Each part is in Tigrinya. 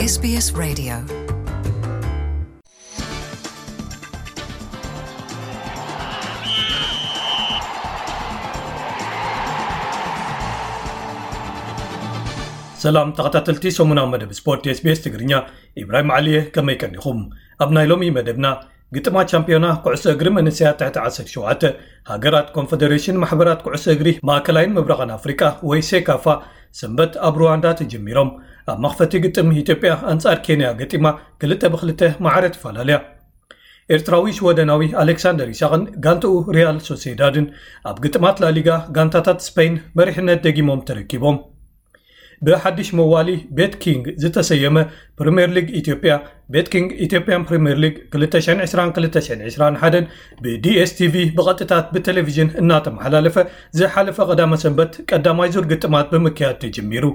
SBS Radio. ሰላም ተኸታተልቲ ሰሙናዊ መደብ ስፖርት SBS ትግርኛ፣ ኢብራሂም ዓሊየ፣ ከመይ ቀኒኹም? ኣብ ናይ ሎሚ መደብና፣ ግጥማት ቻምፒዮና ኩዕሶ እግሪ መንእሰያት ትሕቲ ዓሰርተ ሸውዓተ ሃገራት ኮንፈደሬሽን ማሕበራት ኩዕሶ እግሪ ማእከላይን ምብራቕን ኣፍሪቃ ወይ ሴካፋ ሰንበት ኣብ ሩዋንዳ ተጀሚሮም። ኣብ መኽፈቲ ግጥም ኢትዮጵያ ኣንጻር ኬንያ ገጢማ ክልተ ብክልተ ማዕረ ተፈላለያ። ኤርትራዊ ሽወደናዊ ኣሌክሳንደር ኢሳቕን ጋንትኡ ሪያል ሶሴዳድን ኣብ ግጥማት ላሊጋ ጋንታታት ስፔን መሪሕነት ደጊሞም ተረኪቦም። ብሓድሽ መዋሊ ቤት ኪንግ ዝተሰየመ ፕሪምየር ሊግ ኢትዮጵያ፣ ቤት ኪንግ ኢትዮጵያን ፕሪምየር ሊግ ክልተ ሽሕን ዕስራን ክልተ ሽሕን ዕስራን ሓደን ብዲኤስቲቪ ብቐጥታት ብቴሌቪዥን እናተመሓላለፈ ዝሓለፈ ቀዳመ ሰንበት ቀዳማይ ዙር ግጥማት ብምክያድ ተጀሚሩ።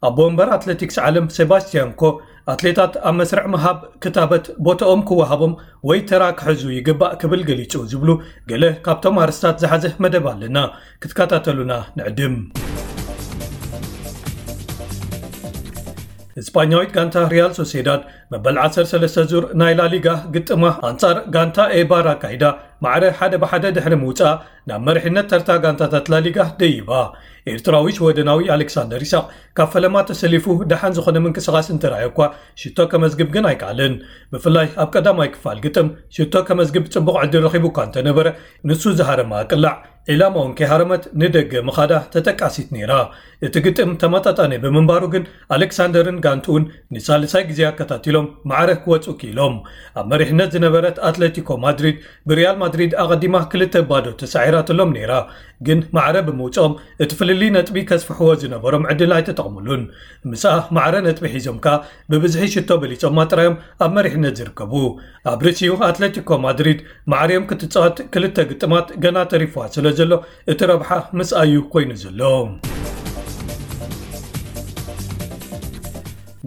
ኣቦ ወንበር ኣትሌቲክስ ዓለም ሴባስቲያን ኮ፣ ኣትሌታት ኣብ መስርዕ ምሃብ ክታበት ቦታኦም ክወሃቦም ወይ ተራ ክሕዙ ይግባእ ክብል ገሊጹ ዝብሉ ገለ ካብቶም ኣርስታት ዝሓዘ መደብ ኣለና። ክትከታተሉና ንዕድም። እስጳኛዊት ጋንታ ሪያል ሶሴዳድ መበል ዓሰርተ ሰለስተ ዙር ናይ ላሊጋ ግጥማ ኣንጻር ጋንታ ኤባር ኣካይዳ ማዕረ ሓደ ብሓደ ድሕሪ ምውጻእ ናብ መሪሕነት ተርታ ጋንታታት ላሊጋ ደይባ። ኤርትራዊ ሽወደናዊ ኣሌክሳንደር ኢሳቕ ካብ ፈለማ ተሰሊፉ ደሓን ዝኾነ ምንቅስቓስ እንተረኣየ እኳ ሽቶ ከመዝግብ ግን ኣይከኣለን። ብፍላይ ኣብ ቀዳማይ ክፋል ግጥም ሽቶ ከመዝግብ ጽቡቕ ዕድል ረኺቡ እኳ እንተነበረ፣ ንሱ ዝሃረማ ቅላዕ ዒላማ እውን ከይሃረመት ንደገ ምኻዳ ተጠቃሲት ነይራ። እቲ ግጥም ተመጣጣኒ ብምንባሩ ግን ኣሌክሳንደርን ጋንትኡን ንሳልሳይ ግዜ ኣከታቲሎም ማዕረ ክወጹ ክኢሎም። ኣብ መሪሕነት ዝነበረት ኣትሌቲኮ ማድሪድ ብሪያል ማድሪድ ኣቐዲማ ክልተ ባዶ ተሳዒራትሎም ነይራ። ግን ማዕረ ብምውጽኦም እቲ ፍልልይ ነጥቢ ከስፍሕዎ ዝነበሮም ዕድል ኣይተጠቕሙሉን። ምስኣ ማዕረ ነጥቢ ሒዞም ከኣ ብብዝሒ ሽቶ በሊጾማ ጥራዮም ኣብ መሪሕነት ዝርከቡ። ኣብ ርእሲኡ ኣትሌቲኮ ማድሪድ ማዕርዮም ክትጻወት ክልተ ግጥማት ገና ተሪፍዋ ስለ ዘሎ እቲ ረብሓ ምስኣዩ ኮይኑ ዘሎ።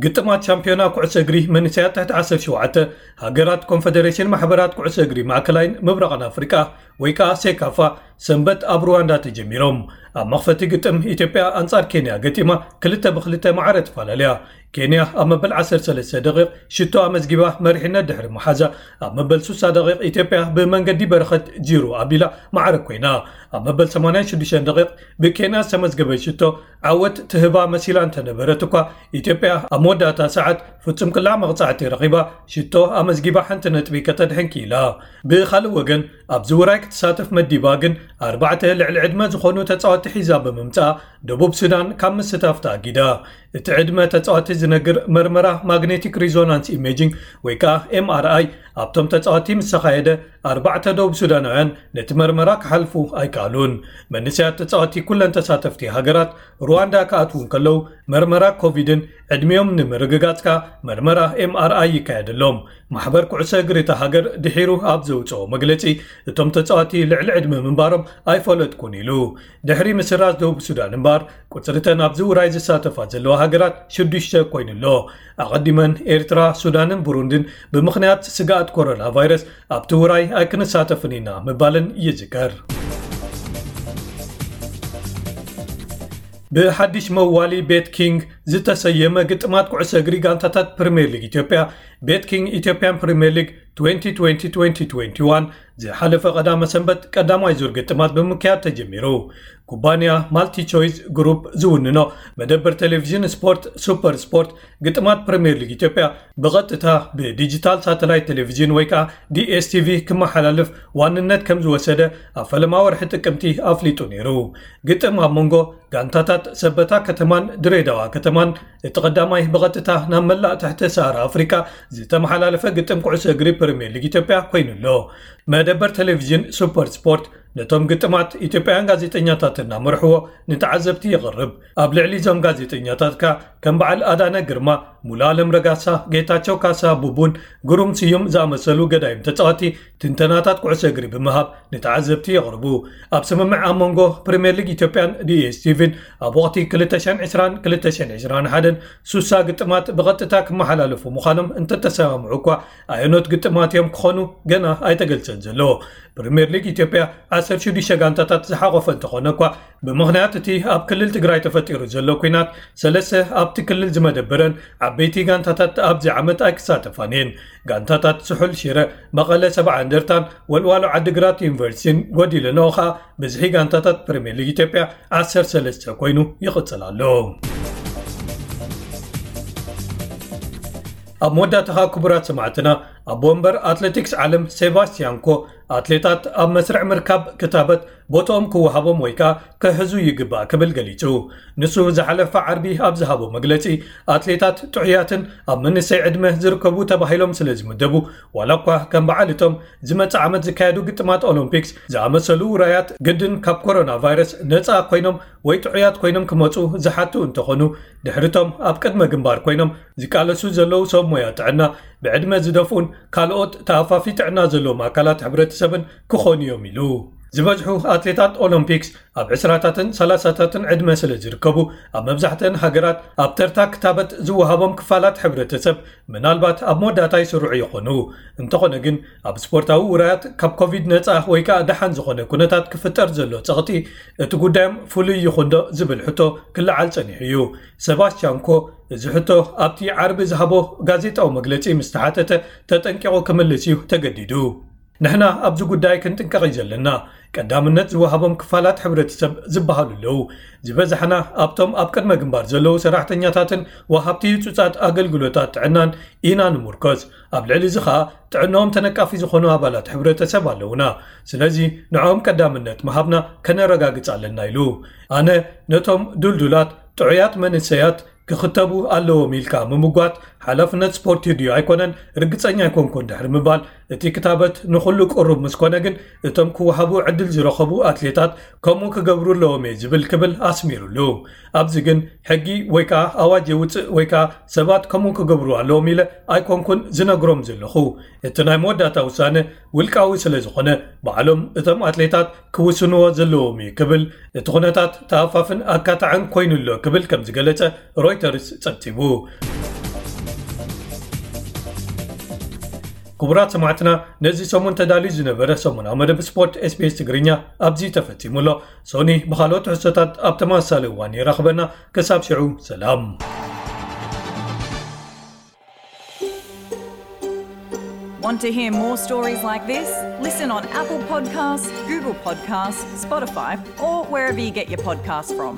ግጥማት ሻምፒዮና ኩዕሶ እግሪ መንእሰያት ትሕቲ ዓሰርተ ሸውዓተ ሃገራት ኮንፈደሬሽን ማሕበራት ኩዕሶ እግሪ ማእከላይን ምብራቕን ኣፍሪቃ ወይ ከዓ ሴካፋ ሰንበት ኣብ ሩዋንዳ ተጀሚሮም። ኣብ መኽፈቲ ግጥም ኢትዮጵያ ኣንጻር ኬንያ ገጢማ ክልተ ብክልተ ማዕረ ተፈላለያ። ኬንያ ኣብ መበል ዓሰርተ ሰለስተ ደቂቕ ሽቶ ኣመዝጊባ መሪሕነት ድሕሪ ምሓዛ፣ ኣብ መበል ስሳ ደቂቕ ኢትዮጵያ ብመንገዲ በረኸት ጂሩ ኣቢላ ማዕረ ኮይና። ኣብ መበል ሰማንያን ሽዱሽተን ደቂቕ ብኬንያ ዝተመዝገበ ሽቶ ዓወት ትህባ መሲላ እንተነበረት እኳ፣ ኢትዮጵያ ኣብ መወዳእታ ሰዓት ፍጹም ቅላዕ መቕጻዕቲ ረኺባ ሽቶ ኣመዝጊባ ሓንቲ ነጥቢ ከተድሕን ክኢላ። ብኻልእ ወገን፣ ኣብዚ ውራይ ክትሳተፍ መዲባ ግን ኣርባዕተ ልዕሊ ዕድመ ዝኾኑ ተጻወትቲ ሒዛ ብምምጻኣ፣ ደቡብ ሱዳን ካብ ምስታፍ ተኣጊዳ። እቲ ዕድመ ተጻወቲ ዝነግር መርመራ ማግኔቲክ ሪዞናንስ ኢሜጂንግ ወይ ከዓ ኤምኣርኣይ ኣብቶም ተጻወቲ ምስ ተኻየደ፣ ኣርባዕተ ደቡብ ሱዳናውያን ነቲ መርመራ ክሓልፉ ኣይከኣሉን። መንእሰያት ተጻወቲ ኩለን ተሳተፍቲ ሃገራት ሩዋንዳ ክኣትዉ እንከለዉ፣ መርመራ ኮቪድን ዕድሚኦም ንምርግጋጽ ከኣ መርመራ ኤምኣርኣይ ይካየደሎም። ማሕበር ኩዕሶ እግሪ እታ ሃገር ድሒሩ ኣብ ዘውጽኦ መግለጺ፣ እቶም ተጻወቲ ልዕሊ ዕድመ ምንባሮም ኣይፈለጥኩን ኢሉ። ድሕሪ ምስራዝ ደቡብ ሱዳን እምበኣር፣ ቁጽሪ እተን ኣብዚ ውራይ ዝሳተፋ ዘለዋ ሃገራት ሽዱሽተ ኮይኑ ኣሎ። ኣቐዲመን ኤርትራ፣ ሱዳንን ብሩንድን ብምኽንያት ስግኣት ኮሮና ቫይረስ ኣብቲ ውራይ ኣይክንሳተፍን ኢና ምባለን ይዝከር። ብሓድሽ መዋሊ ቤት ኪንግ ዝተሰየመ ግጥማት ኩዕሶ እግሪ ጋንታታት ፕሪምየር ሊግ ኢትዮጵያ፣ ቤት ኪንግ ኢትዮጵያን ፕሪምየር ሊግ ትዌንቲ ትዌንቲ ትዌንቲ ትዌንቲ ዋን፣ ዝሓለፈ ቀዳመ ሰንበት ቀዳማይ ዙር ግጥማት ብምክያድ ተጀሚሩ። ኩባንያ ማልቲ ቾይስ ግሩፕ ዝውንኖ መደበር ቴሌቪዥን ስፖርት ሱፐር ስፖርት ግጥማት ፕሪምየር ሊግ ኢትዮጵያ ብቐጥታ ብዲጂታል ሳተላይት ቴሌቪዥን ወይ ከዓ ዲኤስቲቪ ክመሓላልፍ ዋንነት ከም ዝወሰደ ኣብ ፈለማ ወርሒ ጥቅምቲ ኣፍሊጡ ነይሩ። ግጥም ኣብ መንጎ ጋንታታት ሰበታ ከተማን ድሬዳዋ ከተማን እቲ ቀዳማይ ብቐጥታ ናብ መላእ ትሕተ ሰሃራ ኣፍሪቃ ዝተመሓላለፈ ግጥም ኩዕሶ እግሪ ፕሪምየር ሊግ ኢትዮጵያ ኮይኑ ኣሎ። መደበር ቴሌቪዥን ሱፐር ስፖርት ነቶም ግጥማት ኢትዮጵያውያን ጋዜጠኛታት እናመርሕዎ ንተዓዘብቲ የቕርብ። ኣብ ልዕሊ እዞም ጋዜጠኛታት ከኣ ከም በዓል ኣዳነ ግርማ፣ ሙሉኣለም ረጋሳ፣ ጌታቸው ካሳ፣ ቡቡን ግሩም ስዩም ዝኣመሰሉ ገዳይም ተጻወቲ ትንተናታት ኩዕሶ እግሪ ብምሃብ ንተዓዘብቲ የቕርቡ። ኣብ ስምምዕ ኣብ መንጎ ፕሪምየር ሊግ ኢትዮጵያን ዲኤስቲቪን ኣብ ወቕቲ ክልተ ሽሕን ዕስራን ክልተ ሽሕን ዕስራን ሓደን ሱሳ ግጥማት ብቐጥታ ክመሓላለፉ ምዃኖም እንተተሰማምዑ እኳ፣ ኣየኖት ግጥማት እዮም ክኾኑ ገና ኣይተገልጸን ዘሎ። ፕሪምየር ሊግ ኢትዮጵያ ዓሰርተ ሽዱሽተ ጋንታታት ዝሓቖፈ እንተኾነ እኳ፣ ብምኽንያት እቲ ኣብ ክልል ትግራይ ተፈጢሩ ዘሎ ኲናት፣ ሰለስተ ኣብቲ ክልል ዝመደበረን ዓቢ ዓበይቲ ጋንታታት ኣብዚ ዓመት ኣይክሳተፋን እየን። ጋንታታት ስሑል ሽረ፣ መቐለ ሰብዓ እንደርታን ወልዋሎ ዓዲግራት ዩኒቨርሲቲን ጎዲለንኦ ኸኣ ብዝሒ ጋንታታት ፕሪምየር ሊግ ኢትዮጵያ ዓሰርተ ሰለስተ ኮይኑ ይቕጽል ኣሎ። ኣብ መወዳእታ ኸኣ ክቡራት ሰማዕትና፣ ኣቦ ወንበር ኣትሌቲክስ ዓለም ሴባስቲያን ኮ ኣትሌታት ኣብ መስርዕ ምርካብ ክታበት ቦታኦም ክወሃቦም ወይ ከኣ ክሕዙ ይግባእ ክብል ገሊጹ። ንሱ ዝሓለፈ ዓርቢ ኣብ ዝሃቦ መግለጺ፣ ኣትሌታት ጥዑያትን ኣብ መንእሰይ ዕድመ ዝርከቡ ተባሂሎም ስለ ዝምደቡ፣ ዋላ እኳ ከም በዓል እቶም ዝመጽእ ዓመት ዝካየዱ ግጥማት ኦሎምፒክስ ዝኣመሰሉ ውራያት ግድን ካብ ኮሮና ቫይረስ ነጻ ኮይኖም ወይ ጥዑያት ኮይኖም ክመጹ ዝሓቱ እንተኾኑ፣ ድሕርቶም ኣብ ቅድመ ግንባር ኮይኖም ዝቃለሱ ዘለዉ ሰብ ሞያ ጥዕና፣ ብዕድመ ዝደፍኡን ካልኦት ተኣፋፊ ጥዕና ዘለዎም ኣካላት ሕብረተሰብን ክኾኑ እዮም ኢሉ። ዝበዝሑ ኣትሌታት ኦሎምፒክስ ኣብ ዕስራታትን ሰላሳታትን ዕድመ ስለ ዝርከቡ፣ ኣብ መብዛሕትአን ሃገራት ኣብ ተርታ ክታበት ዝወሃቦም ክፋላት ሕብረተሰብ ምናልባት ኣብ መወዳእታ ይስርዑ ይኾኑ። እንተኾነ ግን፣ ኣብ ስፖርታዊ ውራያት ካብ ኮቪድ ነጻ ወይ ከኣ ደሓን ዝኾነ ኩነታት ክፍጠር ዘሎ ጸቕጢ፣ እቲ ጉዳዮም ፍሉይ ይኹንዶ ዝብል ሕቶ ክለዓል ጸኒሑ እዩ። ሰባስቲያን ኮ እዚ ሕቶ ኣብቲ ዓርቢ ዝሃቦ ጋዜጣዊ መግለጺ ምስ ተሓተተ፣ ተጠንቂቑ ክምልስ እዩ ተገዲዱ። ንሕና ኣብዚ ጉዳይ ክንጥንቀቕ እዩ ዘለና። ቀዳምነት ዝወሃቦም ክፋላት ሕብረተሰብ ዝበሃሉ ኣለዉ። ዝበዛሕና ኣብቶም ኣብ ቅድመ ግንባር ዘለዉ ሰራሕተኛታትን ወሃብቲ ህጹጻት ኣገልግሎታት ጥዕናን ኢና ንምርኮዝ። ኣብ ልዕሊ እዚ ኸኣ ጥዕናኦም ተነቃፊ ዝኾኑ ኣባላት ሕብረተሰብ ኣለዉና። ስለዚ ንዕኦም ቀዳምነት ምሃብና ከነረጋግጽ ኣለና ኢሉ። ኣነ ነቶም ድልዱላት ጥዑያት መንእሰያት ክኽተቡ ኣለዎም ኢልካ ምምጓት ሓላፍነት ስፖርት ድዩ ኣይኮነን ርግጸኛ ኣይኮንኩን ድሕሪ ምባል፣ እቲ ክታበት ንኹሉ ቅሩብ ምስ ኮነ ግን እቶም ክወሃቡ ዕድል ዝረኸቡ ኣትሌታት ከምኡ ክገብሩ ኣለዎም እየ ዝብል ክብል ኣስሚሩሉ። ኣብዚ ግን ሕጊ ወይ ከኣ ኣዋጅ የውጽእ ወይ ከኣ ሰባት ከምኡ ክገብሩ ኣለዎም ኢለ ኣይኮንኩን ዝነግሮም ዘለኹ። እቲ ናይ መወዳእታ ውሳነ ውልቃዊ ስለ ዝኾነ ባዕሎም እቶም ኣትሌታት ክውስንዎ ዘለዎም እዩ ክብል፣ እቲ ኩነታት ተኣፋፍን ኣካታዕን ኮይኑ ኣሎ ክብል ከም ዝገለጸ ሮይተርስ ጸብጺቡ። ክቡራት ሰማዕትና፣ ነዚ ሰሙን ተዳልዩ ዝነበረ ሰሙናዊ መደብ ስፖርት ኤስቢኤስ ትግርኛ ኣብዚ ተፈጺሙ ኣሎ። ሶኒ ብኻልኦት ትሕዝቶታት ኣብ ተመሳሳሊ እዋን ይራኽበና። ክሳብ ሽዑ ሰላም። Want to hear more stories like this? Listen on Apple Podcasts, Google Podcasts, Spotify, or wherever you get your podcasts from.